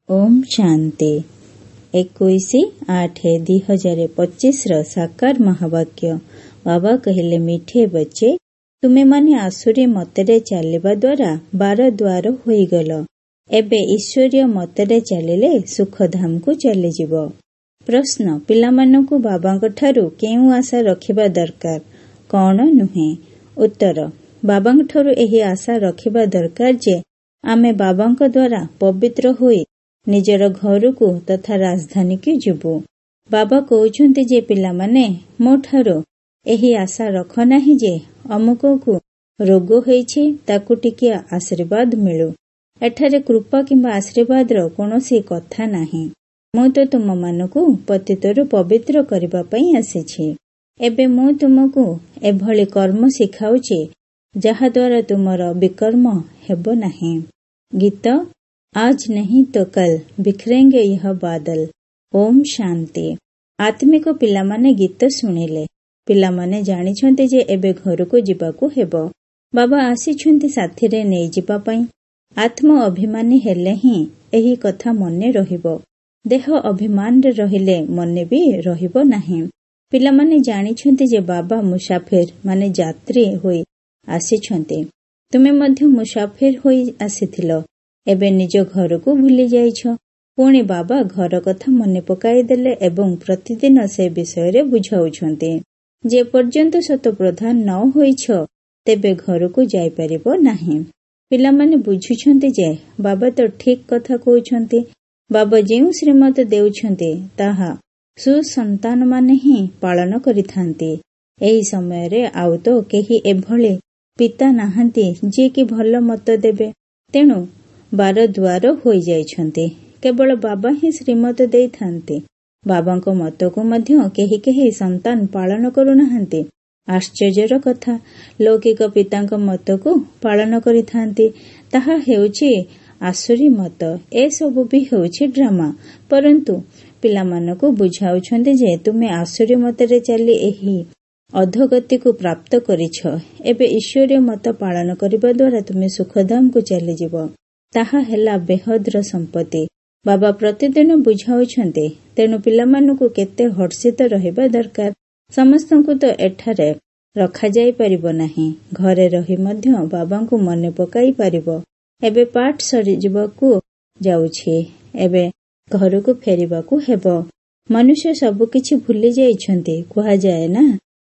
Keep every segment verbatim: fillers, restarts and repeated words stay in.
ଓମ୍ ଶାନ୍ତି। ଏକୋଇଶ ଆଠ ଦୁଇ ହଜାର ପଚିଶର ସାକାର ମହାବାକ୍ୟ। ବାବା କହିଲେ, ମିଠେ ବଚ୍ଚେ, ତୁମେମାନେ ଆସୁରୀ ମତରେ ଚାଲିବା ଦ୍ୱାରା ବାର ଦ୍ୱାର ହୋଇଗଲ। ଏବେ ଈଶ୍ୱରୀୟ ମତରେ ଚାଲିଲେ ସୁଖଧାମକୁ ଚାଲିଯିବ। ପ୍ରଶ୍ନ, ପିଲାମାନଙ୍କୁ ବାବାଙ୍କଠାରୁ କେଉଁ ଆଶା ରଖିବା ଦରକାର, କ'ଣ ନୁହେଁ? ଉତ୍ତର, ବାବାଙ୍କଠାରୁ ଏହି ଆଶା ରଖିବା ଦରକାର ଯେ ଆମେ ବାବାଙ୍କ ଦ୍ୱାରା ପବିତ୍ର ହୋଇ ନିଜର ଘରକୁ ତଥା ରାଜଧାନୀକୁ ଯିବୁ। ବାବା କହୁଛନ୍ତି ଯେ ପିଲାମାନେ, ମୋ ଠାରୁ ଏହି ଆଶା ରଖ ନାହିଁ ଯେ ଅମୁକକୁ ରୋଗ ହୋଇଛି, ତାକୁ ଟିକିଏ ଆଶୀର୍ବାଦ ମିଳୁ। ଏଠାରେ କୃପା କିମ୍ବା ଆଶୀର୍ବାଦର କୌଣସି କଥା ନାହିଁ। ମୁଁ ତ ତୁମମାନଙ୍କୁ ପତିତରୁ ପବିତ୍ର କରିବା ପାଇଁ ଆସିଛି। ଏବେ ମୁଁ ତୁମକୁ ଏଭଳି କର୍ମ ଶିଖାଉଛି ଯାହାଦ୍ୱାରା ତୁମର ବିକର୍ମ ହେବ ନାହିଁ। ଗୀତ, ଆଜ ନାହିଁ ତ କଲ ବିଖରେଙ୍ଗେ यह ବାଦଲ। ଓମ୍ ଶାନ୍ତି। ଆତ୍ମିକ ପିଲାମାନେ ଗୀତ ଶୁଣିଲେ। ପିଲାମାନେ ଜାଣିଛନ୍ତି ଯେ ଏବେ ଘରକୁ ଯିବାକୁ ହେବ। ବାବା ଆସିଛନ୍ତି ସାଥିରେ ନେଇଯିବା ପାଇଁ। ଆତ୍ମ ଅଭିମାନୀ ହେଲେ ହିଁ ଏହି କଥା ମନେ ରହିବ। ଦେହ ଅଭିମାନରେ ରହିଲେ ମନେ ବି ରହିବ ନାହିଁ। ପିଲାମାନେ ଜାଣିଛନ୍ତି ଯେ ବାବା ମୁସାଫିର ମାନେ ଯାତ୍ରୀ ହୋଇ ଆସିଛନ୍ତି। ତୁମେ ମଧ୍ୟ ମୁସାଫିର ହୋଇ ଆସିଥିଲ, ଏବେ ନିଜ ଘରକୁ ଭୁଲି ଯାଇଛ। ପୁଣି ବାବା ଘର କଥା ମନେ ପକାଇଦେଲେ ଏବଂ ପ୍ରତିଦିନ ସେ ବିଷୟରେ ବୁଝାଉଛନ୍ତି। ଯେ ପର୍ଯ୍ୟନ୍ତ ସତପ୍ରଧାନ ନ ହୋଇଛ, ତେବେ ଘରକୁ ଯାଇପାରିବ ନାହିଁ। ପିଲାମାନେ ବୁଝୁଛନ୍ତି ଯେ ବାବା ତ ଠିକ୍ କଥା କହୁଛନ୍ତି। ବାବା ଯେଉଁ ଶ୍ରୀମତ ଦେଉଛନ୍ତି ତାହା ସୁସନ୍ତାନମାନେ ହିଁ ପାଳନ କରିଥାନ୍ତି। ଏହି ସମୟରେ ଆଉ ତ କେହି ଏଭଳି ପିତା ନାହାନ୍ତି ଯିଏକି ଭଲ ମତ ଦେବେ। ତେଣୁ ବାର ଦ୍ୱାର ହୋଇଯାଇଛନ୍ତି। କେବଳ ବାବା ହିଁ ଶ୍ରୀମତ ଦେଇଥାନ୍ତି। ବାବାଙ୍କ ମତକୁ ମଧ୍ୟ କେହି କେହି ସନ୍ତାନ ପାଳନ କରୁନାହାନ୍ତି। ଆଶ୍ଚର୍ଯ୍ୟର କଥା, ଲୌକିକ ପିତାଙ୍କ ମତକୁ ପାଳନ କରିଥାନ୍ତି। ତାହା ହେଉଛି ଆସୁରୀ ମତ। ଏସବୁ ବି ହେଉଛି ଡ୍ରାମା। ପରନ୍ତୁ ପିଲାମାନଙ୍କୁ ବୁଝାଉଛନ୍ତି ଯେ ତୁମେ ଆସୁରୀ ମତରେ ଚାଲି ଏହି ଅଧୋଗତିକୁ ପ୍ରାପ୍ତ କରିଛ। ଏବେ ଈଶ୍ୱରୀୟ ମତ ପାଳନ କରିବା ଦ୍ୱାରା ତୁମେ ସୁଖଧାମକୁ ଚାଲିଯିବ। ତାହା ହେଲା ବେହଦର ସମ୍ପତ୍ତି। ବାବା ପ୍ରତିଦିନ ବୁଝାଉଛନ୍ତି। ତେଣୁ ପିଲାମାନଙ୍କୁ କେତେ ହର୍ଷିତ ରହିବା ଦରକାର। ସମସ୍ତଙ୍କୁ ତ ଏଠାରେ ରଖାଯାଇପାରିବ ନାହିଁ। ଘରେ ରହି ମଧ୍ୟ ବାବାଙ୍କୁ ମନେ ପକାଇ ପାରିବ। ଏବେ ପାଠ ସରିଯିବାକୁ ଯାଉଛି। ଏବେ ଘରକୁ ଫେରିବାକୁ ହେବ। ମନୁଷ୍ୟ ସବୁକିଛି ଭୁଲି ଯାଇଛନ୍ତି, କୁହାଯାଏ ନା,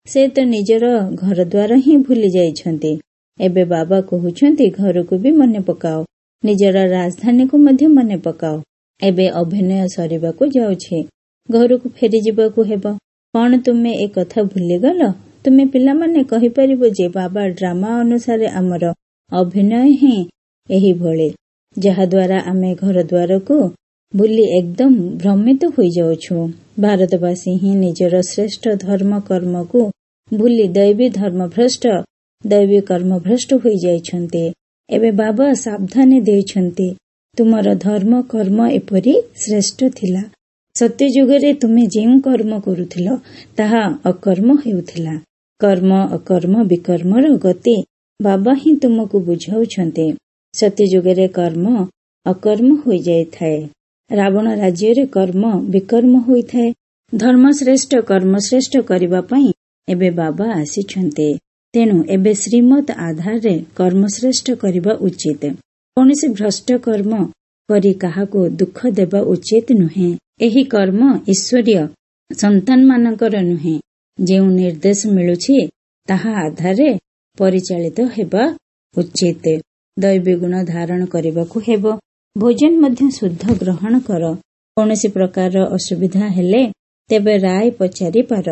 ସେ ତ ନିଜର ଘରଦ୍ୱାର ହିଁ ଭୁଲି ଯାଇଛନ୍ତି। ଏବେ ବାବା କହୁଛନ୍ତି ଘରକୁ ବି ମନେ ପକାଅ, ନିଜର ରାଜଧାନୀକୁ ମଧ୍ୟ ମନେ ପକାଅ। ଏବେ ଅଭିନୟ ସରିବାକୁ ଯାଉଛି, ଘରକୁ ଫେରିଯିବାକୁ ହେବ। କ'ଣ ତୁମେ ଏ କଥା ଭୁଲିଗଲ? ତୁମେ ପିଲାମାନେ କହିପାରିବ ଯେ ବାବା ଡ୍ରାମା ଅନୁସାରେ ଆମର ଅଭିନୟ ହିଁ ଏହିଭଳି, ଯାହାଦ୍ୱାରା ଆମେ ଘରଦ୍ୱାରକୁ ଭୁଲି ଏକଦମ ଭ୍ରମିତ ହୋଇଯାଉଛୁ। ଭାରତବାସୀ ହିଁ ନିଜର ଶ୍ରେଷ୍ଠ ଧର୍ମ କର୍ମକୁ ଭୁଲି ଦୈବୀ ଧର୍ମଭ୍ରଷ୍ଟ, ଦୈବୀ କର୍ମଭ୍ରଷ୍ଟ ହୋଇଯାଇଛନ୍ତି। ଏବେ ବାବା ସାବଧାନୀ ଦେଇଛନ୍ତି, ତୁମର ଧର୍ମ କର୍ମ ଏପରି ଶ୍ରେଷ୍ଠ ଥିଲା। ସତ୍ୟଯୁଗରେ ତୁମେ ଯେଉଁ କର୍ମ କରୁଥିଲ ତାହା ଅକର୍ମ ହେଉଥିଲା। କର୍ମ, ଅକର୍ମ, ବିକର୍ମର ଗତି ବାବା ହିଁ ତୁମକୁ ବୁଝାଉଛନ୍ତି। ସତ୍ୟଯୁଗରେ କର୍ମ ଅକର୍ମ ହୋଇଯାଇଥାଏ। ରାବଣ ରାଜ୍ୟରେ କର୍ମ ବିକର୍ମ ହୋଇଥାଏ। ଧର୍ମଶ୍ରେଷ୍ଠ କର୍ମଶ୍ରେଷ୍ଠ କରିବା ପାଇଁ ଏବେ ବାବା ଆସିଛନ୍ତି। ତେଣୁ ଏବେ ଶ୍ରୀମତ ଆଧାରରେ କର୍ମଶ୍ରେଷ୍ଠ କରିବା ଉଚିତ। କୌଣସି ଭ୍ରଷ୍ଟ କର୍ମ କରି କାହାକୁ ଦୁଃଖ ଦେବା ଉଚିତ ନୁହେଁ। ଏହି କର୍ମ ଈଶ୍ୱରୀୟ ସନ୍ତାନମାନଙ୍କର ନୁହେଁ। ଯେଉଁ ନିର୍ଦ୍ଦେଶ ମିଳୁଛି ତାହା ଆଧାରରେ ପରିଚାଳିତ ହେବା ଉଚିତ। ଦୈବୀ ଗୁଣ ଧାରଣ କରିବାକୁ ହେବ। ଭୋଜନ ମଧ୍ୟ ଶୁଦ୍ଧ ଗ୍ରହଣ କର। କୌଣସି ପ୍ରକାରର ଅସୁବିଧା ହେଲେ ତେବେ ରାୟ ପଚାରି ପାର।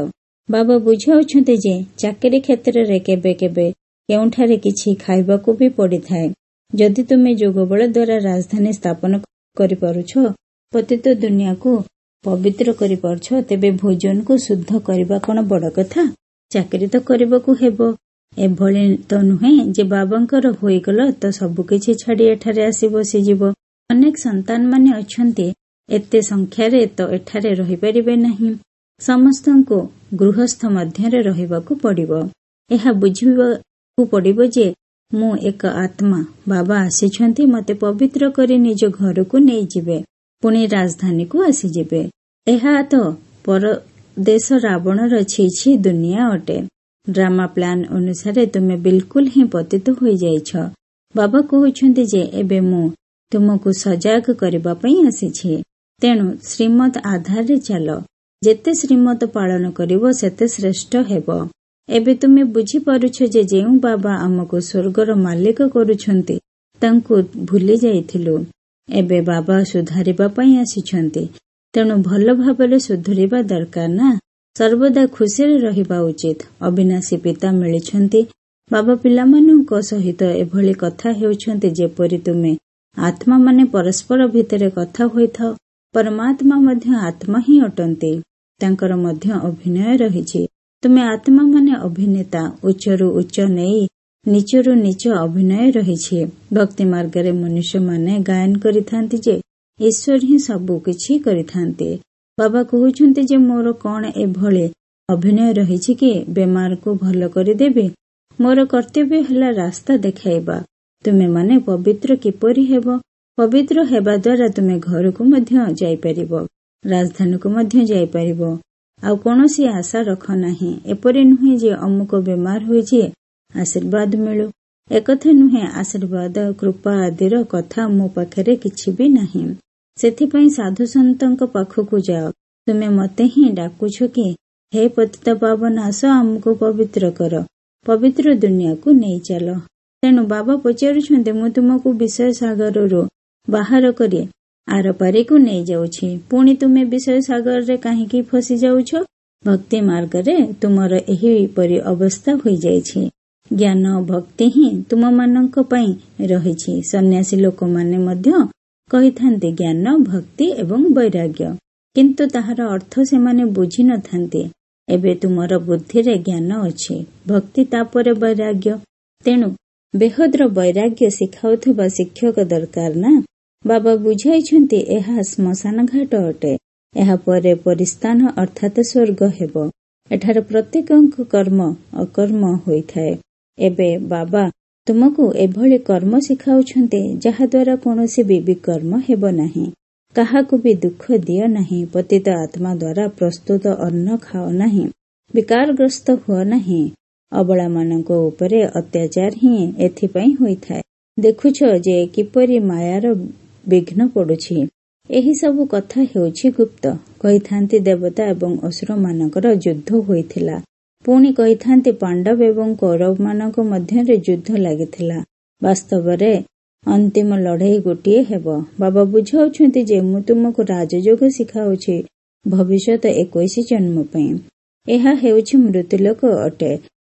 ବାବା ବୁଝାଉଛନ୍ତି ଯେ ଚାକିରି କ୍ଷେତ୍ରରେ କେବେ କେବେ କେଉଁଠାରେ କିଛି ଖାଇବାକୁ ବି ପଡ଼ିଥାଏ। ଯଦି ତୁମେ ଯୋଗବଳ ଦ୍ୱାରା ରାଜଧାନୀ ସ୍ଥାପନ କରିପାରୁଛ, ପତିତ ଦୁନିଆକୁ ପବିତ୍ର କରିପାରୁଛ, ତେବେ ଭୋଜନକୁ ଶୁଦ୍ଧ କରିବା କ'ଣ ବଡ଼ କଥା? ଚାକିରି ତ କରିବାକୁ ହେବ। ଏଭଳି ତ ନୁହେଁ ଯେ ବାବାଙ୍କର ହୋଇଗଲ ତ ସବୁକିଛି ଛାଡ଼ି ଏଠାରେ ଆସି ବସିଯିବ। ଅନେକ ସନ୍ତାନମାନେ ଅଛନ୍ତି, ଏତେ ସଂଖ୍ୟାରେ ତ ଏଠାରେ ରହିପାରିବେ ନାହିଁ। ସମସ୍ତଙ୍କୁ ଗୃହସ୍ଥ ମଧ୍ୟରେ ରହିବାକୁ ପଡ଼ିବ। ଏହା ବୁଝିବାକୁ ପଡ଼ିବ ଯେ ମୁଁ ଏକ ଆତ୍ମା। ବାବା ଆସିଛନ୍ତି ମୋତେ ପବିତ୍ର କରି ନିଜ ଘରକୁ ନେଇଯିବେ। ପୁଣି ରାଜଧାନୀକୁ ଆସିଯିବେ। ଏହା ତ ପରଦେଶ ରାବଣର ଛି ଛି ଦୁନିଆ ଅଟେ। ଡ୍ରାମା ପ୍ଲାନ୍ ଅନୁସାରେ ତୁମେ ବିଲକୁଲ ହିଁ ପତିତ ହୋଇଯାଇଛ। ବାବା କହୁଛନ୍ତି ଯେ ଏବେ ମୁଁ ତୁମକୁ ସଜାଗ କରିବା ପାଇଁ ଆସିଛି। ତେଣୁ ଶ୍ରୀମତ ଆଧାରରେ ଚାଲ। ଯେତେ ଶ୍ରୀମତ ପାଳନ କରିବ ସେତେ ଶ୍ରେଷ୍ଠ ହେବ। ଏବେ ତୁମେ ବୁଝିପାରୁଛ ଯେ ଯେଉଁ ବାବା ଆମକୁ ସ୍ୱର୍ଗର ମାଲିକ କରୁଛନ୍ତି ତାଙ୍କୁ ଭୁଲି ଯାଇଥିଲୁ। ଏବେ ବାବା ସୁଧାରିବା ପାଇଁ ଆସିଛନ୍ତି। ତେଣୁ ଭଲ ଭାବରେ ସୁଧୁରିବା ଦରକାର ନା। ସର୍ବଦା ଖୁସିରେ ରହିବା ଉଚିତ। ଅବିନାଶୀ ପିତା ମିଳିଛନ୍ତି। ବାବା ପିଲାମାନଙ୍କ ସହିତ ଏଭଳି କଥା ହେଉଛନ୍ତି ଯେପରି ତୁମେ ଆତ୍ମାମାନେ ପରସ୍ପର ଭିତରେ କଥା ହୋଇଥାଅ। ପରମାତ୍ମା ମଧ୍ୟ ଆତ୍ମା ହିଁ ଅଟନ୍ତି। ତାଙ୍କର ମଧ୍ୟ ଅଭିନୟ ରହିଛି। ତୁମେ ଆତ୍ମାମାନେ ଅଭିନେତା। ଉଚ୍ଚରୁ ଉଚ୍ଚ ନେଇ ନୀଚରୁ ନୀଚ ଅଭିନୟ ରହିଛି। ଭକ୍ତି ମାର୍ଗରେ ମନୁଷ୍ୟମାନେ ଗାୟନ କରିଥାନ୍ତି ଯେ ଈଶ୍ୱର ହିଁ ସବୁ କିଛି କରିଥାନ୍ତି। ବାବା କହୁଛନ୍ତି ଯେ ମୋର କଣ ଏଭଳି ଅଭିନୟ ରହିଛି କି ବେମାରକୁ ଭଲ କରିଦେବି? ମୋର କର୍ତ୍ତବ୍ୟ ହେଲା ରାସ୍ତା ଦେଖାଇବା। ତୁମେମାନେ ପବିତ୍ର କିପରି ହେବ? ପବିତ୍ର ହେବା ଦ୍ୱାରା ତୁମେ ଘରକୁ ମଧ୍ୟ ଯାଇପାରିବ, ରାଜଧାନୀକୁ ମଧ୍ୟ ଯାଇପାରିବ। ଆଉ କୌଣସି ଆଶା ରଖ ନାହିଁ। ଏପରି ନୁହେଁ ଯେ ଅମୁକ ବେମାର ହୋଇଛି ଆଶୀର୍ବାଦ ମିଳୁ, ଏକଥା ନୁହେଁ। ଆଶୀର୍ବାଦ କୃପା ଆଦିର କଥା ମୋ ପାଖରେ କିଛି ବି ନାହିଁ। ସେଥିପାଇଁ ସାଧୁସନ୍ତଙ୍କ ପାଖକୁ ଯାଅ। ତୁମେ ମତେ ହିଁ ଡାକୁଛ କି ହେ ପତିତ ପାବନ ଆସ, ଆମକୁ ପବିତ୍ର କର, ପବିତ୍ର ଦୁନିଆକୁ ନେଇ ଚାଲ। ତେଣୁ ବାବା ପଚାରୁଛନ୍ତି, ମୁଁ ତୁମକୁ ବିଷୟ ସାଗରରୁ ବାହାର କରି ଆରପାରିକୁ ନେଇଯାଉଛି, ପୁଣି ତୁମେ ବିଷୟ ସାଗରରେ କାହିଁକି ଫସି ଯାଉଛ? ଭକ୍ତି ମାର୍ଗରେ ତୁମର ଏହିପରି ଅବସ୍ଥା ହୋଇଯାଇଛି। ଜ୍ଞାନ ଭକ୍ତି ହିଁ ତୁମମାନଙ୍କ ପାଇଁ ରହିଛି। ସନ୍ନ୍ୟାସୀ ଲୋକମାନେ ମଧ୍ୟ କହିଥାନ୍ତି ଜ୍ଞାନ, ଭକ୍ତି ଏବଂ ବୈରାଗ୍ୟ, କିନ୍ତୁ ତାହାର ଅର୍ଥ ସେମାନେ ବୁଝି ନଥାନ୍ତି। ଏବେ ତୁମର ବୁଦ୍ଧିରେ ଜ୍ଞାନ ଅଛି, ଭକ୍ତି, ତାପରେ ବୈରାଗ୍ୟ। ତେଣୁ ବେହଦର ବୈରାଗ୍ୟ ଶିଖାଉଥିବା ଶିକ୍ଷକ ଦରକାର ନା। ବାବା ବୁଝାଇଛନ୍ତି ଏହା ଶ୍ମଶାନ ଘାଟ ଅଟେ। ଏହାପରେ ପରିସ୍ଥାନ ଅର୍ଥାତ ସ୍ୱର୍ଗ ହେବ। ଏଠାରେ ପ୍ରତ୍ୟେକଙ୍କ କର୍ମ ଅକର୍ମ ହୋଇଥାଏ। ଏବେ ବାବା ତୁମକୁ ଏଭଳି କର୍ମ ଶିଖାଉଛନ୍ତି ଯାହାଦ୍ୱାରା କୌଣସି ବି ବିକର୍ମ ହେବ ନାହିଁ। କାହାକୁ ବି ଦୁଃଖ ଦିଅ ନାହିଁ। ପତିତ ଆତ୍ମା ଦ୍ୱାରା ପ୍ରସ୍ତୁତ ଅନ୍ନ ଖାଅ ନାହିଁ। ବିକାରଗ୍ରସ୍ତ ହୁଅ ନାହିଁ। ଅବଳାମାନଙ୍କ ଉପରେ ଅତ୍ୟାଚାର ହିଁ ଏଥିପାଇଁ ହୋଇଥାଏ। ଦେଖୁଛ ଯେ କିପରି ମାୟାର ବିଘ୍ନ ପଡୁଛି। ଏହି ସବୁ କଥା ହେଉଛି ଗୁପ୍ତ। କହିଥାନ୍ତି ଦେବତା ଏବଂ ଅସୁରମାନଙ୍କର ଯୁଦ୍ଧ ହୋଇଥିଲା। ପୁଣି କହିଥାନ୍ତି ପାଣ୍ଡବ ଏବଂ କୌରବମାନଙ୍କ ମଧ୍ୟରେ ଯୁଦ୍ଧ ଲାଗିଥିଲା। ବାସ୍ତବରେ ଅନ୍ତିମ ଲଢେଇ ଗୋଟିଏ ହେବ। ବାବା ବୁଝାଉଛନ୍ତି ଯେ ମୁଁ ତୁମକୁ ରାଜଯୋଗ ଶିଖାଉଛି ଭବିଷ୍ୟତ ଏକୋଇଶ ଜନ୍ମ ପାଇଁ। ଏହା ହେଉଛି ମୃତ୍ୟୁଲୋକ ଅଟେ।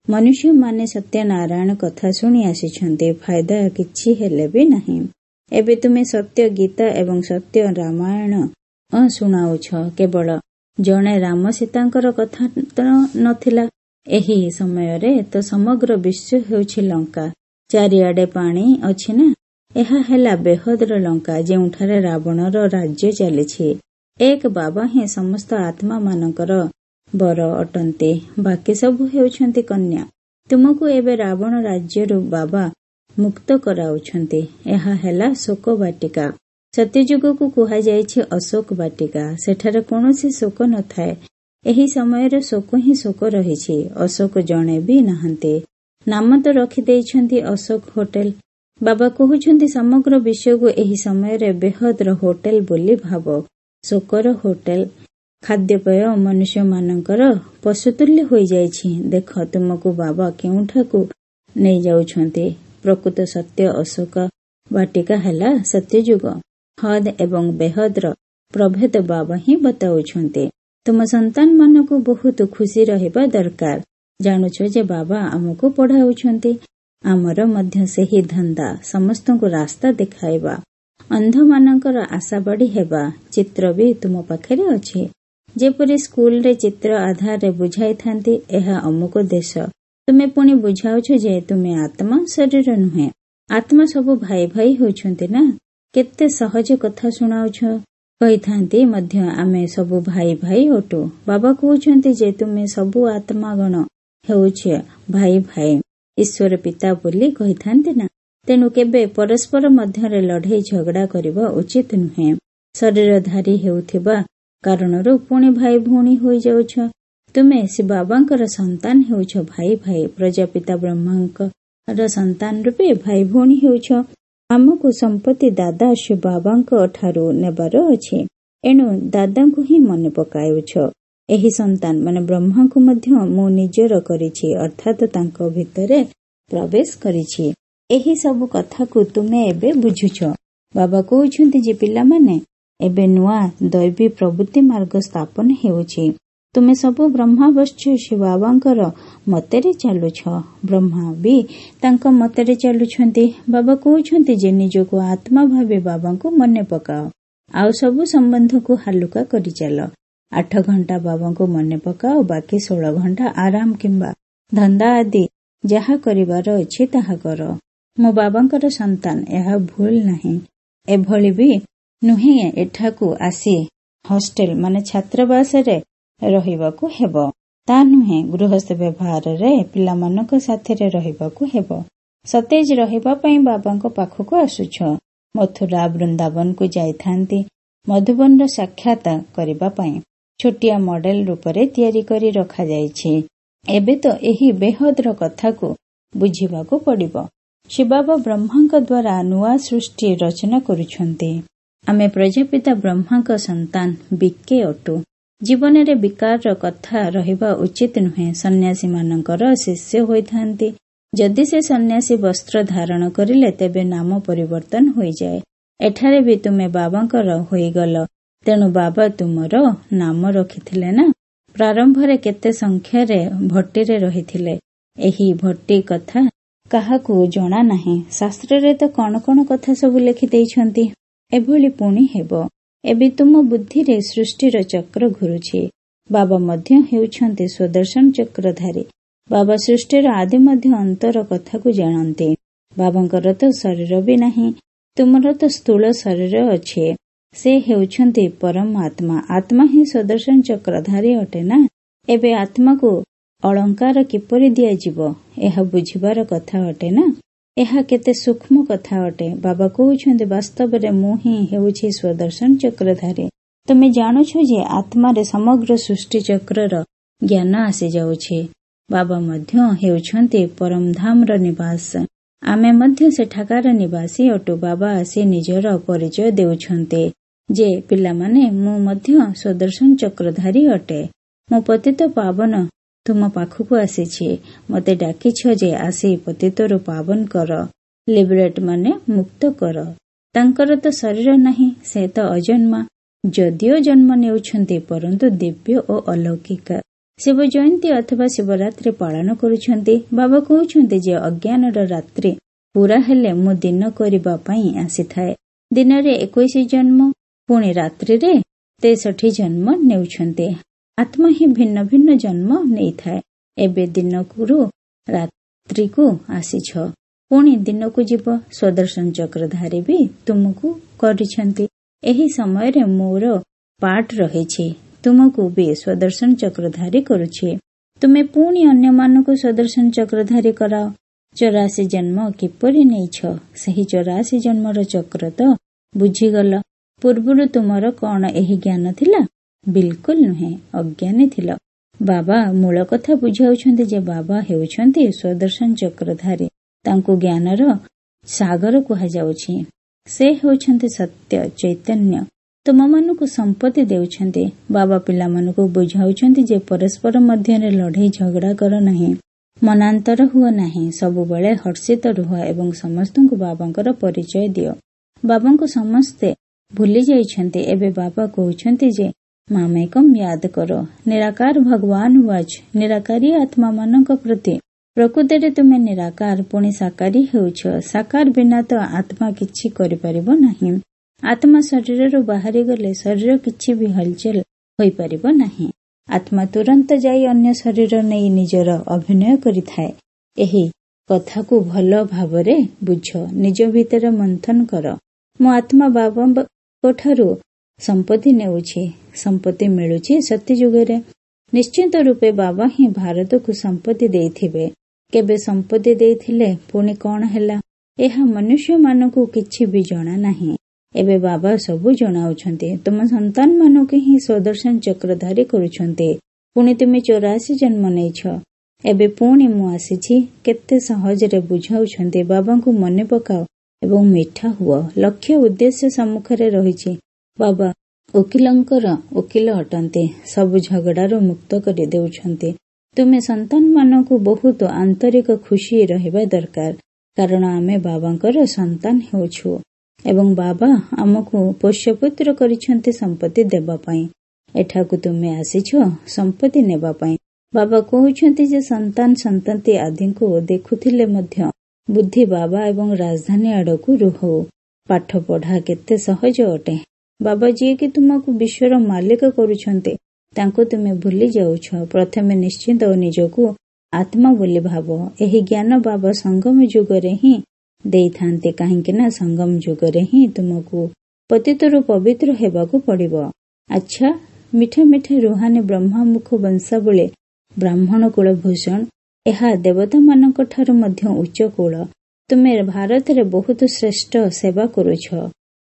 ମନୁଷ୍ୟମାନେ ସତ୍ୟନାରାୟଣ କଥା ଶୁଣି ଆସିଛନ୍ତି, ଫାଇଦା କିଛି ହେଲେ ବି ନାହିଁ। ଏବେ ତୁମେ ସତ୍ୟ ଗୀତା ଏବଂ ସତ୍ୟ ରାମାୟଣ ଶୁଣାଉଛ। କେବଳ ଜଣେ ରାମ ସୀତାଙ୍କର କଥା ତ ନଥିଲା। ଏହି ସମୟରେ ତ ସମଗ୍ର ବିଶ୍ୱ ହେଉଛି ଲଙ୍କା। ଚାରିଆଡେ ପାଣି ଅଛି ନା। ଏହା ହେଲା ବେହଦର ଲଙ୍କା, ଯେଉଁଠାରେ ରାବଣର ରାଜ୍ୟ ଚାଲିଛି। ଏକ ବାବା ହିଁ ସମସ୍ତ ଆତ୍ମାମାନଙ୍କର ବର ଅଟନ୍ତି, ବାକି ସବୁ ହେଉଛନ୍ତି କନ୍ୟା। ତୁମକୁ ଏବେ ରାବଣ ରାଜ୍ୟରୁ ବାବା ମୁକ୍ତ କରାଉଛନ୍ତି। ଏହା ହେଲା ଶୋକ ବାଟିକା। ସତ୍ୟଯୁଗକୁ କୁହାଯାଇଛି ଅଶୋକ ବାଟିକା। ସେଠାରେ କୌଣସି ଶୋକ ନଥାଏ। ଏହି ସମୟରେ ଶୋକ ହିଁ ଶୋକ ରହିଛି। ଅଶୋକ ଜଣେ ବି ନାହାନ୍ତି। ନାମ ତ ରଖିଦେଇଛନ୍ତି ଅଶୋକ ହୋଟେଲ। ବାବା କହୁଛନ୍ତି ସମଗ୍ର ବିଶ୍ୱକୁ ଏହି ସମୟରେ ବେହଦର ହୋଟେଲ ବୋଲି ଭାବ। ଶୋକର ହୋଟେଲ। ଖାଦ୍ୟପେୟ ମନୁଷ୍ୟମାନଙ୍କର ପଶୁତୁଲ୍ୟ ହୋଇଯାଇଛି। ଦେଖ ତୁମକୁ ବାବା କେଉଁଠାକୁ ନେଇଯାଉଛନ୍ତି। ପ୍ରକୃତ ସତ୍ୟ ଅଶୋକ ବାଟିକା ହେଲା ସତ୍ୟଯୁଗ। ହଦ୍ ଏବଂ ବେହଦର ପ୍ରଭେଦ ବାବା ହିଁ ବତାଉଛନ୍ତି। ତୁମ ସନ୍ତାନମାନଙ୍କୁ ବହୁତ ଖୁସି ରହିବା ଦରକାର। ଜାଣୁଛ ଯେ ବାବା ଆମକୁ ପଢାଉଛନ୍ତି। ଆମର ମଧ୍ୟ ସେହି ଧନ୍ଦା, ସମସ୍ତଙ୍କୁ ରାସ୍ତା ଦେଖାଇବା, ଅନ୍ଧମାନଙ୍କର ଆଶାବାଡି ହେବା। ଚିତ୍ର ବି ତୁମ ପାଖରେ ଅଛି। ଯେପରି ସ୍କୁଲରେ ଚିତ୍ର ଆଧାରରେ ବୁଝାଇଥାନ୍ତି ଏହା ଅମୁକ ଦେଶ। ତୁମେ ପୁଣି ବୁଝାଉଛ ଯେ ତୁମେ ଆତ୍ମା, ଶରୀର ନୁହେଁ। ଆତ୍ମା ସବୁ ଭାଇ ଭାଇ ହେଉଛନ୍ତି ନା। କେତେ ସହଜ କଥା ଶୁଣାଉଛ। କହିଥାନ୍ତି ମଧ୍ୟ ଆମେ ସବୁ ଭାଇ ଭାଇ ଅଟୁ। ବାବା କହୁଛନ୍ତି ଯେ ତୁମେ ସବୁ ଆତ୍ମାଗଣ ହେଉଛ ଭାଇ ଭାଇ। ଈଶ୍ୱର ପିତା ବୋଲି କହିଥାନ୍ତି ନା। ତେଣୁ କେବେ ପରସ୍ପର ମଧ୍ୟରେ ଲଢେଇ ଝଗଡା କରିବା ଉଚିତ ନୁହେଁ। ଶରୀରଧାରୀ ହେଉଥିବା କାରଣରୁ ପୁଣି ଭାଇ ଭଉଣୀ ହୋଇଯାଉଛ। ତୁମେ ଶିବବାବାଙ୍କର ସନ୍ତାନ ହେଉଛ ଭାଇ ଭାଇ। ପ୍ରଜାପିତା ବ୍ରହ୍ମାଙ୍କର ସନ୍ତାନ ରୂପେ ଭାଇ ଭଉଣୀ ହେଉଛ। ଆମକୁ ସମ୍ପତ୍ତି ଦାଦା ଶିବବାବାଙ୍କ ଠାରୁ ନେବାର ଅଛି। ଏଣୁ ଦାଦାଙ୍କୁ ହିଁ ମନେ ପକାଉଛ। ଏହି ସନ୍ତାନ ମାନେ ବ୍ରହ୍ମାଙ୍କୁ ମଧ୍ୟ ମୁଁ ନିଜର କରିଛି, ଅର୍ଥାତ ତାଙ୍କ ଭିତରେ ପ୍ରବେଶ କରିଛି। ଏହି ସବୁ କଥାକୁ ତୁମେ ଏବେ ବୁଝୁଛ। ବାବା କହୁଛନ୍ତି ଯେ ପିଲାମାନେ, ଏବେ ନୂଆ ଦୈବୀ ପ୍ରବୃତ୍ତି ମାର୍ଗ ସ୍ଥାପନ ହେଉଛି। ତୁମେ ସବୁ ବ୍ରହ୍ମାବଶ୍ୟ ଶିବବାବାଙ୍କର ମତରେ ଚାଲୁଛ। ବ୍ରହ୍ମା ବି ତାଙ୍କ ମତରେ ଚାଲୁଛନ୍ତି। ବାବା କହୁଛନ୍ତି ଯେ ନିଜକୁ ଆତ୍ମା ଭାବି ବାବାଙ୍କୁ ମନେ ପକାଅ, ଆଉ ସବୁ ସମ୍ବନ୍ଧକୁ ହାଲୁକା କରି ଚାଲ। ଆଠ ଘଣ୍ଟା ବାବାଙ୍କୁ ମନେ ପକାଅ, ବାକି ଷୋହଳ ଘଣ୍ଟା ଆରାମ କିମ୍ବା ଧନ୍ଦା ଆଦି ଯାହା କରିବାର ଅଛି ତାହା କର। ମୁଁ ବାବାଙ୍କର ସନ୍ତାନ, ଏହା ଭୁଲ ନାହିଁ। ଏଭଳି ବି ନୁହେଁ ଏଠାକୁ ଆସି ହଷ୍ଟେଲ ମାନେ ଛାତ୍ରାବାସରେ ରହିବାକୁ ହେବ, ତା ନୁହେଁ। ଗୃହସ୍ଥ ବ୍ୟବହାରରେ ପିଲାମାନଙ୍କ ସାଥିରେ ରହିବାକୁ ହେବ। ସତେଜ ରହିବା ପାଇଁ ବାବାଙ୍କ ପାଖକୁ ଆସୁଛ। ମଥୁରା ବୃନ୍ଦାବନକୁ ଯାଇଥାନ୍ତି ମଧୁବନର ସାକ୍ଷାତ କରିବା ପାଇଁ। ଛୋଟିଆ ମଡେଲ ରୂପରେ ତିଆରି କରି ରଖାଯାଇଛି। ଏବେ ତ ଏହି ବେହଦର କଥାକୁ ବୁଝିବାକୁ ପଡ଼ିବ। ଶିବବାବା ବ୍ରହ୍ମାଙ୍କ ଦ୍ୱାରା ନୂଆ ସୃଷ୍ଟି ରଚନା କରୁଛନ୍ତି। ଆମେ ପ୍ରଜାପିତା ବ୍ରହ୍ମାଙ୍କ ସନ୍ତାନ ବିକେ ଅଟୁ। ଜୀବନରେ ବିକାରର କଥା ରହିବା ଉଚିତ ନୁହେଁ। ସନ୍ନ୍ୟାସୀମାନଙ୍କର ଶିଷ୍ୟ ହୋଇଥାନ୍ତି। ଯଦି ସେ ସନ୍ନ୍ୟାସୀ ବସ୍ତ୍ର ଧାରଣ କରିଲେ ତେବେ ନାମ ପରିବର୍ତ୍ତନ ହୋଇଯାଏ। ଏଠାରେ ବି ତୁମେ ବାବାଙ୍କର ହୋଇଗଲ, ତେଣୁ ବାବା ତୁମର ନାମ ରଖିଥିଲେ ନା। ପ୍ରାରମ୍ଭରେ କେତେ ସଂଖ୍ୟାରେ ଭଟ୍ଟିରେ ରହିଥିଲେ। ଏହି ଭଟ୍ଟି କଥା କାହାକୁ ଜଣା ନାହିଁ। ଶାସ୍ତ୍ରରେ ତ କଣ କଣ କଥା ସବୁ ଲେଖିଦେଇଛନ୍ତି। ଏଭଳି ପୁଣି ହେବ। ଏବେ ତୁମ ବୁଦ୍ଧିରେ ସୃଷ୍ଟିର ଚକ୍ର ଘୁରୁଛି। ବାବା ମଧ୍ୟ ହେଉଛନ୍ତି ସ୍ୱଦର୍ଶନ ଚକ୍ରଧାରୀ। ବାବା ସୃଷ୍ଟିର ଆଦି ମଧ୍ୟ ଅନ୍ତର କଥାକୁ ଜାଣନ୍ତି। ବାବାଙ୍କର ତ ଶରୀର ବି ନାହିଁ, ତୁମର ତ ସ୍ଥୂଳ ଶରୀର ଅଛି। ସେ ହେଉଛନ୍ତି ପରମ ଆତ୍ମା। ଆତ୍ମା ହିଁ ସ୍ୱଦର୍ଶନ ଚକ୍ରଧାରୀ ଅଟେ ନା। ଏବେ ଆତ୍ମାକୁ ଅଳଙ୍କାର କିପରି ଦିଆଯିବ, ଏହା ବୁଝିବାର କଥା ଅଟେ ନା। ଏହା କେତେ ସୂକ୍ଷ୍ମ କଥା ଅଟେ। ବାବା କହୁଛନ୍ତି ବାସ୍ତବରେ ମୁଁ ହିଁ ହେଉଛି ସ୍ୱଦର୍ଶନ ଚକ୍ରଧାରୀ। ତୁମେ ଜାଣୁଛ ଯେ ଆତ୍ମାରେ ସମଗ୍ର ସୃଷ୍ଟି ଚକ୍ରର ଜ୍ଞାନ ଆସିଯାଉଛି। ବାବା ମଧ୍ୟ ହେଉଛନ୍ତି ପରମଧାମର ନିବାସ। ଆମେ ମଧ୍ୟ ସେଠାକାର ନିବାସୀ ଅଟୁ। ବାବା ଆସି ନିଜର ପରିଚୟ ଦେଉଛନ୍ତି ଯେ ପିଲାମାନେ, ମୁଁ ମଧ୍ୟ ସ୍ୱଦର୍ଶନ ଚକ୍ରଧାରୀ ଅଟେ। ମୁଁ ପତିତ ପାବନ ତୁମ ପାଖକୁ ଆସିଛି। ମୋତେ ଡାକିଛ ଯେ ଆସି ପତିତରୁ ପାବନ କର, ଲିବରେଟ ମାନେ ମୁକ୍ତ କର। ତାଙ୍କର ତ ଶରୀର ନାହିଁ, ସେ ତ ଅଜନ୍ମା। ଯଦିଓ ଜନ୍ମ ନେଉଛନ୍ତି, ପରନ୍ତୁ ଦିବ୍ୟ ଓ ଅଲୌକିକ। ଶିବ ଜୟନ୍ତୀ ଅଥବା ଶିବରାତ୍ରି ପାଳନ କରୁଛନ୍ତି। ବାବା କହୁଛନ୍ତି ଯେ ଅଜ୍ଞାନର ରାତ୍ରି ପୁରା ହେଲେ ମୁଁ ଦିନ କରିବା ପାଇଁ ଆସିଥାଏ। ଦିନରେ ଏକୋଇଶ ଜନ୍ମ, ପୁଣି ରାତ୍ରିରେ ତେଷଠି ଜନ୍ମ ନେଉଛନ୍ତି। ଆତ୍ମା ହିଁ ଭିନ୍ନ ଭିନ୍ନ ଜନ୍ମ ନେଇଥାଏ। ଏବେ ଦିନରୁ ରାତ୍ରିକୁ ଆସିଛ, ପୁଣି ଦିନକୁ ଯିବ। ସ୍ୱଦର୍ଶନ ଚକ୍ରଧାରୀ ବି ତୁମକୁ କରିଛନ୍ତି। ଏହି ସମୟରେ ମୋର ପାଠ ରହିଛି, ତୁମକୁ ବି ସ୍ୱଦର୍ଶନ ଚକ୍ରଧାରୀ କରୁଛି। ତୁମେ ପୁଣି ଅନ୍ୟମାନଙ୍କୁ ସ୍ୱଦର୍ଶନ ଚକ୍ରଧାରୀ କରାଅ। ଚଉରାଶୀ ଜନ୍ମ କିପରି ନେଇଛ, ସେହି ଚଉରାଶୀ ଜନ୍ମର ଚକ୍ର ତ ବୁଝିଗଲ। ପୂର୍ବରୁ ତୁମର କଣ ଏହି ଜ୍ଞାନ ଥିଲା? ବିଲକୁଲ ନୁହେଁ, ଅଜ୍ଞାନୀ ଥିଲ। ବାବା ମୂଳ କଥା ବୁଝାଉଛନ୍ତି ଯେ ବାବା ହେଉଛନ୍ତି ସ୍ୱଦର୍ଶନ ଚକ୍ରଧାରୀ। ତାଙ୍କୁ ଜ୍ଞାନର ସାଗର କୁହାଯାଉଛି। ସେ ହେଉଛନ୍ତି ସତ୍ୟ ଚୈତନ୍ୟ। ତୁମମାନଙ୍କୁ ସମ୍ପତ୍ତି ଦେଉଛନ୍ତି। ବାବା ପିଲାମାନଙ୍କୁ ବୁଝାଉଛନ୍ତି ଯେ ପରସ୍ପର ମଧ୍ୟରେ ଲଢ଼େଇ ଝଗଡ଼ା କର ନାହିଁ, ମନାନ୍ତର ହୁଅ ନାହିଁ, ସବୁବେଳେ ହର୍ଷିତ ରୁହ ଏବଂ ସମସ୍ତଙ୍କୁ ବାବାଙ୍କର ପରିଚୟ ଦିଅ। ବାବାଙ୍କୁ ସମସ୍ତେ ଭୁଲି ଯାଇଛନ୍ତି। ଏବେ ବାବା କହୁଛନ୍ତି ଯେ ମାମେକମ୍ ୟାଦ କର। ନିରାକାର ଭଗବାନ ୱାଚ। ନିରାକାରୀ ଆତ୍ମାମାନଙ୍କ ପ୍ରତି ପ୍ରକୃତରେ ତୁମେ ନିରାକାର ପୁଣି ସାକାରୀ ହେଉଛ। ସାକାର ବିନା ତ ଆତ୍ମା କିଛି କରିପାରିବ ନାହିଁ। ଆତ୍ମା ଶରୀରରୁ ବାହାରି ଗଲେ ଶରୀର କିଛି ବି ହଲଚଲ ହୋଇପାରିବ ନାହିଁ। ଆତ୍ମା ତୁରନ୍ତ ଯାଇ ଅନ୍ୟ ଶରୀର ନେଇ ନିଜର ଅଭିନୟ କରିଥାଏ। ଏହି କଥାକୁ ଭଲ ଭାବରେ ବୁଝ, ନିଜ ଭିତରେ ମନ୍ଥନ କର। ମୁଁ ଆତ୍ମା ବାବାଙ୍କ ଠାରୁ ସମ୍ପତ୍ତି ନେଉଛି, ସମ୍ପତ୍ତି ମିଳୁଛି ସତ୍ୟଯୁଗରେ। ନିଶ୍ଚିତ ରୂପେ ବାବା ହିଁ ଭାରତକୁ ସମ୍ପତ୍ତି ଦେଇଥିବେ। କେବେ ସମ୍ପତ୍ତି ଦେଇଥିଲେ ପୁଣି କଣ ହେଲା, ଏହା ମନୁଷ୍ୟମାନଙ୍କୁ କିଛି ବି ଜଣା ନାହିଁ। ଏବେ ବାବା ସବୁ ଜଣାଉଛନ୍ତି। ତୁମ ସନ୍ତାନମାନଙ୍କୁ ହିଁ ସ୍ୱଦର୍ଶନ ଚକ୍ରଧାରୀ କରୁଛନ୍ତି। ପୁଣି ତୁମେ ଚଉରାଶୀ ଜନ୍ମ ନେଇଛ। ଏବେ ପୁଣି ମୁଁ ଆସିଛି। କେତେ ସହଜରେ ବୁଝାଉଛନ୍ତି। ବାବାଙ୍କୁ ମନେ ପକାଅ ଏବଂ ମିଠା ହୁଅ। ଲକ୍ଷ୍ୟ ଉଦ୍ଦେଶ୍ୟ ସମ୍ମୁଖରେ ରହିଛି। ବାବା ଓକିଲଙ୍କର ଓକିଲ ଅଟନ୍ତି, ସବୁ ଝଗଡ଼ାରୁ ମୁକ୍ତ କରି ଦେଉଛନ୍ତି। ତୁମେ ସନ୍ତାନମାନଙ୍କୁ ବହୁତ ଆନ୍ତରିକ ଖୁସି ରହିବା ଦରକାର, କାରଣ ଆମେ ବାବାଙ୍କର ସନ୍ତାନ ହେଉଛୁ ଏବଂ ବାବା ଆମକୁ ପୋଷ୍ୟପୁତ୍ର କରିଛନ୍ତି ସମ୍ପତ୍ତି ଦେବା ପାଇଁ। ଏଠାକୁ ତୁମେ ଆସିଛ ସମ୍ପତ୍ତି ନେବା ପାଇଁ। ବାବା କହୁଛନ୍ତି ଯେ ସନ୍ତାନ ସନ୍ତତି ଆଦିଙ୍କୁ ଦେଖୁଥିଲେ ମଧ୍ୟ ବୁଦ୍ଧି ବାବା ଏବଂ ରାଜଧାନୀ ଆଡ଼କୁ ରୁହଉ। ପାଠ ପଢ଼ା କେତେ ସହଜ ଅଟେ। ବାବା ଯିଏକି ତୁମକୁ ବିଶ୍ୱର ମାଲିକ କରୁଛନ୍ତି, ତାଙ୍କୁ ତୁମେ ଭୁଲି ଯାଉଛ। ପ୍ରଥମେ ନିଶ୍ଚିତ ନିଜକୁ ଆତ୍ମା ବୋଲି ଭାବ। ଏହି ଜ୍ଞାନ ବାବା ସଙ୍ଗମ ଯୁଗରେ ହିଁ ଦେଇଥାନ୍ତି, କାହିଁକି ନା ସଙ୍ଗମ ଯୁଗରେ ହିଁ ତୁମକୁ ପତିତରୁ ପବିତ୍ର ହେବାକୁ ପଡ଼ିବ। ଆଚ୍ଛା, ମିଠା ମିଠା ରୁହାନି ବ୍ରହ୍ମାମୁଖ ବଂଶାବଳୀ ବ୍ରାହ୍ମଣ କୁଳ ଭୂଷଣ, ଏହା ଦେବତାମାନଙ୍କ ଠାରୁ ମଧ୍ୟ ଉଚ୍ଚ କୁଳ। ତୁମେ ଭାରତରେ ବହୁତ ଶ୍ରେଷ୍ଠ ସେବା କରୁଛ।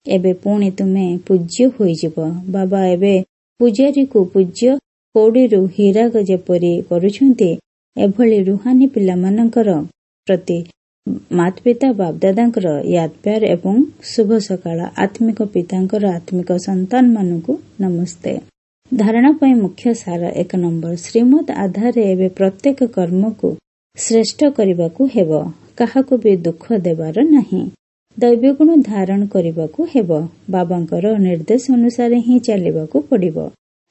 ଏବେ ପୁଣି ତୁମେ ପୂଜ୍ୟ ହୋଇଯିବ। ବାବା ଏବେ ପୂଜାରୀକୁ ପୂଜ୍ୟ କଉଡ଼ିରୁ ହୀରାକ ଯେପରି କରୁଛନ୍ତି, ଏଭଳି ରୁହାନି ପିଲାମାନଙ୍କର ପ୍ରତି ମାତପିତା ବାପଦାଦାଙ୍କର ୟାଦ ପ୍ୟାର ଏବଂ ଶୁଭ ସକାଳ। ଆତ୍ମିକ ପିତାଙ୍କର ଆତ୍ମିକ ସନ୍ତାନମାନଙ୍କୁ ନମସ୍ତେ। ଧାରଣା ପାଇଁ ମୁଖ୍ୟ ସାର। ଏକ ନମ୍ବର, ଶ୍ରୀମତ ଆଧାରରେ ଏବେ ପ୍ରତ୍ୟେକ କର୍ମକୁ ଶ୍ରେଷ୍ଠ କରିବାକୁ ହେବ। କାହାକୁ ବି ଦୁଃଖ ଦେବାର ନାହିଁ। ଦୈବ୍ୟଗୁଣ ଧାରଣ କରିବାକୁ ହେବ। ବାବାଙ୍କର ନିର୍ଦ୍ଦେଶ ଅନୁସାରେ ହିଁ ଚାଲିବାକୁ ପଡ଼ିବ।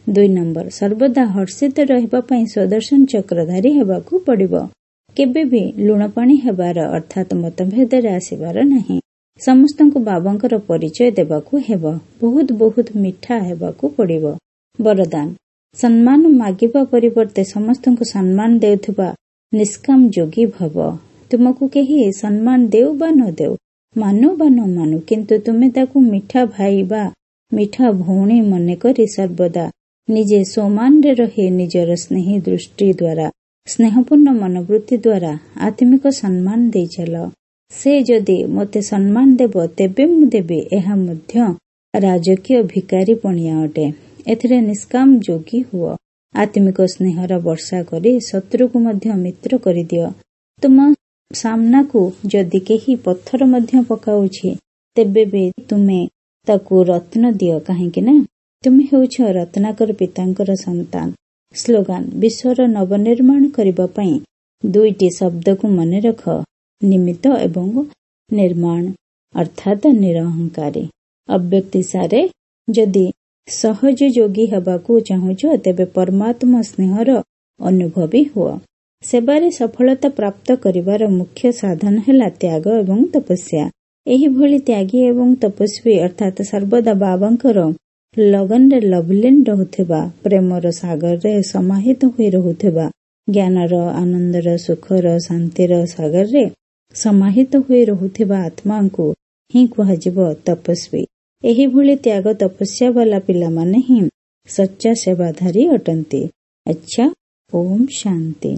ଦୁଇ ନମ୍ବର, ସର୍ବଦା ହର୍ଷିତ ରହିବା ପାଇଁ ସ୍ୱଦର୍ଶନ ଚକ୍ରଧାରୀ ହେବାକୁ ପଡ଼ିବ। କେବେ ବି ଲୁଣ ପାଣି ହେବାର ଅର୍ଥାତ୍ ମତଭେଦରେ ଆସିବାର ନାହିଁ। ସମସ୍ତଙ୍କୁ ବାବାଙ୍କର ପରିଚୟ ଦେବାକୁ ହେବ। ବହୁତ ବହୁତ ମିଠା ହେବାକୁ ପଡ଼ିବ। ବରଦାନ, ସମ୍ମାନ ମାଗିବା ପରିବର୍ତ୍ତେ ସମସ୍ତଙ୍କୁ ସମ୍ମାନ ଦେଉଥିବା ନିଷ୍କାମ ଯୋଗୀ ଭବ। ତୁମକୁ କେହି ସମ୍ମାନ ଦେଉ ବା ନ ଦେଉ, ମାନୁ ବା ନ ମାନୁ, କିନ୍ତୁ ତୁମେ ତାକୁ ମିଠା ଭାଇ ବା ମିଠା ଭଉଣୀ ମନେକରି ସର୍ବଦା ନିଜେ ସ୍ୱମାନରେ ରହି ନିଜର ସ୍ନେହୀ ଦୃଷ୍ଟି ଦ୍ୱାରା, ସ୍ନେହପୂର୍ଣ୍ଣ ମନୋବୃତ୍ତି ଦ୍ୱାରା ଆତ୍ମିକ ସମ୍ମାନ ଦେଇ ଚାଲ। ସେ ଯଦି ମୋତେ ସମ୍ମାନ ଦେବ ତେବେ ମୁଁ ଦେବି, ଏହା ମଧ୍ୟ ରାଜକୀୟ ଭିକାରୀ ପଣିଆ ଅଟେ। ଏଥିରେ ନିଷ୍କାମ ଯୋଗୀ ହୁଅ। ଆତ୍ମିକ ସ୍ନେହର ବର୍ଷା କରି ଶତ୍ରୁକୁ ମଧ୍ୟ ମିତ୍ର କରିଦିଅ। ତୁମ ସାମ୍ନାକୁ ଯଦି କେହି ପଥର ମଧ୍ୟ ପକାଉଛି, ତେବେ ବି ତୁମେ ତାକୁ ରତ୍ନ ଦିଅ, କାହିଁକି ନା ତୁମେ ହେଉଛ ରତ୍ନାକର ପିତାଙ୍କର ସନ୍ତାନ। ସ୍ଲୋଗାନ, ବିଶ୍ୱର ନବନିର୍ମାଣ କରିବା ପାଇଁ ଦୁଇଟି ଶବ୍ଦକୁ ମନେ ରଖ, ନିମିତ୍ତ ଏବଂ ନିର୍ମାଣ, ଅର୍ଥାତ୍ ନିରହଙ୍କାରୀ। ଅବ୍ୟକ୍ତି ସାରେ, ଯଦି ସହଜ ଯୋଗୀ ହେବାକୁ ଚାହୁଁଛ ତେବେ ପରମାତ୍ମା ସ୍ନେହର ଅନୁଭବୀ ହୁଅ। ସେବାରେ ସଫଳତା ପ୍ରାପ୍ତ କରିବାର ମୁଖ୍ୟ ସାଧନ ହେଲା ତ୍ୟାଗ ଏବଂ ତପସ୍ୟା। ଏହିଭଳି ତ୍ୟାଗୀ ଏବଂ ତପସ୍ୱୀ ଅର୍ଥାତ୍ ସର୍ବଦା ବାବାଙ୍କର ଲଗନରେ ଲଭଲିନ ରହୁଥିବା, ପ୍ରେମର ସାଗରରେ ସମାହିତ ହୋଇ ରହୁଥିବା, ଜ୍ଞାନର, ଆନନ୍ଦର, ସୁଖର, ଶାନ୍ତିର ସାଗରରେ ସମାହିତ ହୋଇ ରହୁଥିବା ଆତ୍ମାଙ୍କୁ ହିଁ କୁହାଯିବ ତପସ୍ୱୀ। ଏହିଭଳି ତ୍ୟାଗ ତପସ୍ୟା ବାଲା ପିଲାମାନେ ହିଁ ସଚ୍ଚା ସେବାଧାରୀ ଅଟନ୍ତି। ଆଚ୍ଛା, ଓମ୍ ଶାନ୍ତି।